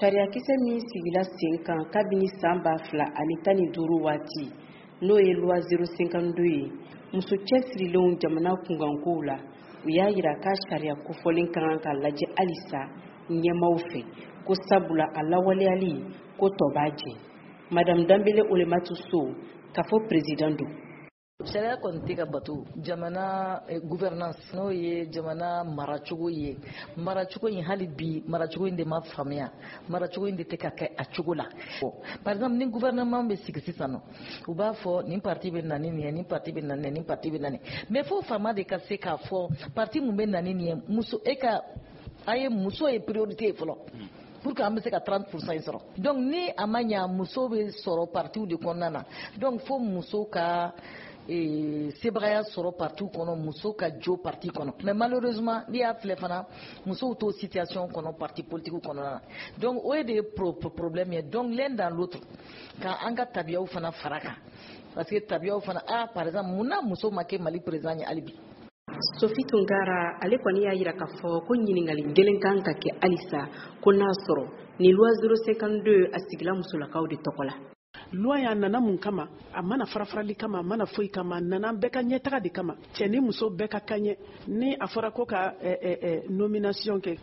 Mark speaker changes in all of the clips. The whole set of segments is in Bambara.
Speaker 1: Sariyakisɛ min sigila sen kan kabini san 2015 waati, n'o ye loi 052 ye, muso cɛsirilenw jamana kunkankow la, u y'a jira k'a sariya kofɔlen ka kan ka lajɛ halisa ɲɛmaaw fɛ, ko sabula a lawaleyali ko tɔ b'a jɛ. Madame Danbele Olematu So, kafo peresidan don.
Speaker 2: Sariya kɔni tɛ ka bato. Jamana gouvernance, n'o ye jamana maracogo ye, maracogo in, hali bi maracogo in de ma faamuya, maracogo in de tɛ ka kɛ a cogo la. Par exemple, ni gouvernement bɛ sigi sisan nɔ, u b'a fɔ nin parti bɛ na ni nin ye, nin parti bɛ na nin ye, nin parti bɛ na nin. Mais fo faama de ka se k'a fɔ parti mun bɛ na ni nin ye, muso e ka a ye muso ye priorité ye fɔlɔ pour que an bɛ se ka 30% in sɔrɔ. Donc ni a ma ɲa, muso bɛ sɔrɔ partiw de kɔnɔna na. Donc fo muso ka sebagaya sɔrɔ parti kɔnɔ, muso ka jo parti kɔnɔ. Mais malheureusement, n'i y'a filɛ fana, musow t'o situation kɔnɔ parti politique kɔnɔna na. Donc o de ye problème ye. Donc l'un dans l'autre, ka an ka tabiyaw fana fara kan, parce que tabiyaw fana, ah, par exemple, mun na muso ma kɛ Mali président ye hali bi?
Speaker 1: Sofi Tunkara, ale kɔni y'a jira k'a fɔ ko ɲininkali gɛlɛn kan ka kɛ halisa, ko n'a sɔrɔ ni loi 052 a sigila musolakaw de tɔgɔ la.
Speaker 3: Loi a nana mun kama? A mana fara-farali kama, a mana foyi kama, a nana bɛɛ ka ɲɛtaga de kama, cɛ ni muso bɛɛ ka ka ɲɛ. Ni a fɔra ko ka nomination kɛ,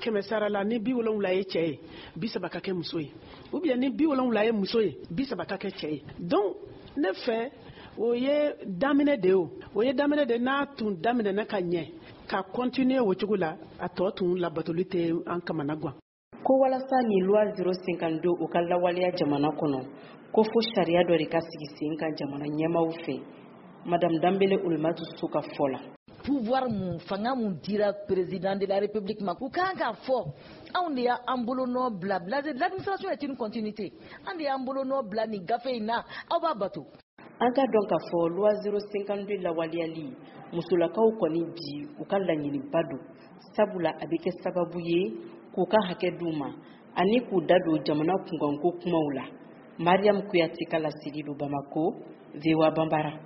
Speaker 3: 100 sara la, ni 70 ye cɛ ye, 30 ka kɛ muso ye, ou bien ni 70 ye muso ye, 30 ka kɛ cɛ ye. Donc ne fɛ, o ye daminɛ de ye, o ye daminɛ de. N'a tun daminɛna ka ɲɛ ka continuer o cogo la, a tɔ tun labatoli tɛ an kamana gan.
Speaker 1: Ko walasa ni loi 052 o ka lawaleya jamana kɔnɔ, ko fo sariya dɔ de ka sigi sen kan jamana ɲɛmaaw fɛ. Madame Danbele Olematu So ka fɔ la,
Speaker 2: pouvoir mun, fanga mun dira président de la République ma, u kan k'a fɔ anw de y'an bolonɔ bila. L'administration est une continuité. An de y'an bolonɔ bila nin gafe in na, aw b'a bato.
Speaker 1: An ka dɔn k'a fɔ loi 052 lawaleyali, musolakaw kɔni bi u ka laɲiniba don, sabula a bɛ kɛ sababu ye k'u ka hakɛ d'u ma ani k'u da don jamana kunkanko kumaw la. Mariam Kuyate ka laseli don Bamako, VOA Banbara.